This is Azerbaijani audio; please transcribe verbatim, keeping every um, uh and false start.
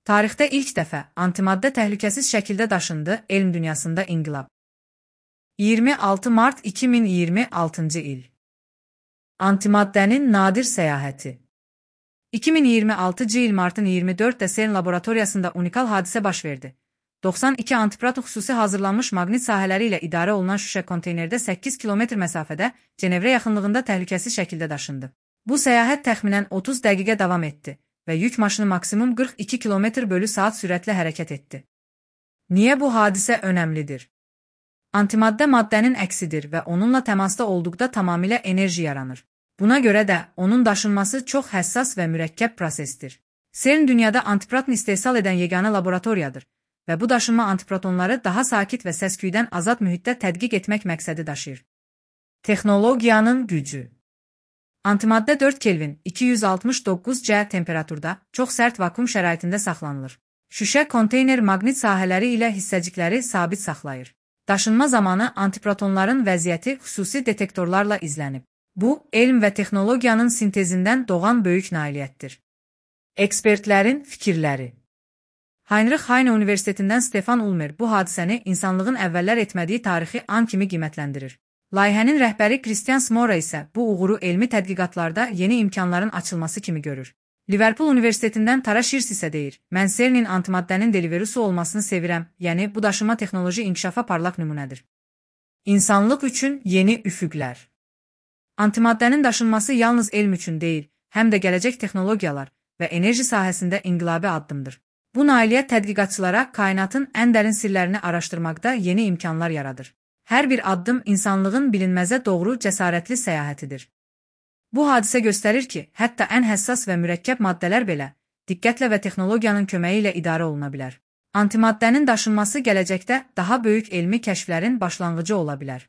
Tarixdə ilk dəfə antimaddə təhlükəsiz şəkildə daşındı, elm dünyasında inqilab. iyirmi altı mart iki min iyirmi altıncı il. Antimaddənin nadir səyahəti. iki min iyirmi altıncı il martın iyirmi dördündə CERN laboratoriyasında unikal hadisə baş verdi. doxsan iki antiprot xüsusi hazırlanmış maqnit sahələri ilə idarə olunan şüşə konteynerdə səkkiz kilometr məsafədə Cenevrə yaxınlığında təhlükəsiz şəkildə daşındı. Bu səyahət təxminən otuz dəqiqə davam etdi və yük maşını maksimum qırx iki kilometr bölü saat sürətlə hərəkət etdi. Niyə bu hadisə önəmlidir? Antimaddə maddənin əksidir və onunla təmasda olduqda tamamilə enerji yaranır. Buna görə də onun daşınması çox həssas və mürəkkəb prosesdir. CERN dünyada antiproton istehsal edən yeganə laboratoriyadır və bu daşınma antiprotonları daha sakit və səsküydən azad mühitdə tədqiq etmək məqsədi daşıyır. Texnologiyanın gücü. Antimaddə dörd Kelvin iki yüz altmış doqquz C temperaturda çox sərt vakuum şəraitində saxlanılır. Şüşə konteyner maqnit sahələri ilə hissəcikləri sabit saxlayır. Daşınma zamanı antiprotonların vəziyyəti xüsusi detektorlarla izlənib. Bu, elm və texnologiyanın sintezindən doğan böyük nailiyyətdir. Ekspertlərin fikirləri. Heinrich Heine Universitetindən Stefan Ulmer bu hadisəni insanlığın əvvəllər etmədiyi tarixi an kimi qiymətləndirir. Layihənin rəhbəri Christian Smora isə bu uğuru elmi tədqiqatlarda yeni imkanların açılması kimi görür. Liverpool Universitetindən Tara Shears isə deyir, mən CERN-in antimaddənin deliverusu olmasını sevirəm, yəni bu daşıma texnoloji inkişafa parlaq nümunədir. İnsanlıq üçün yeni üfüqlər. Antimaddənin daşınması yalnız elm üçün deyil, həm də gələcək texnologiyalar və enerji sahəsində inqilabi addımdır. Bu nailiyyət tədqiqatçılara kainatın ən dərin sirlərini araşdırmaqda yeni imkanlar yaradır. Hər bir addım insanlığın bilinməzə doğru cəsarətli səyahətidir. Bu hadisə göstərir ki, hətta ən həssas və mürəkkəb maddələr belə diqqətlə və texnologiyanın köməyi ilə idarə oluna bilər. Antimaddənin daşınması gələcəkdə daha böyük elmi kəşflərin başlanğıcı ola bilər.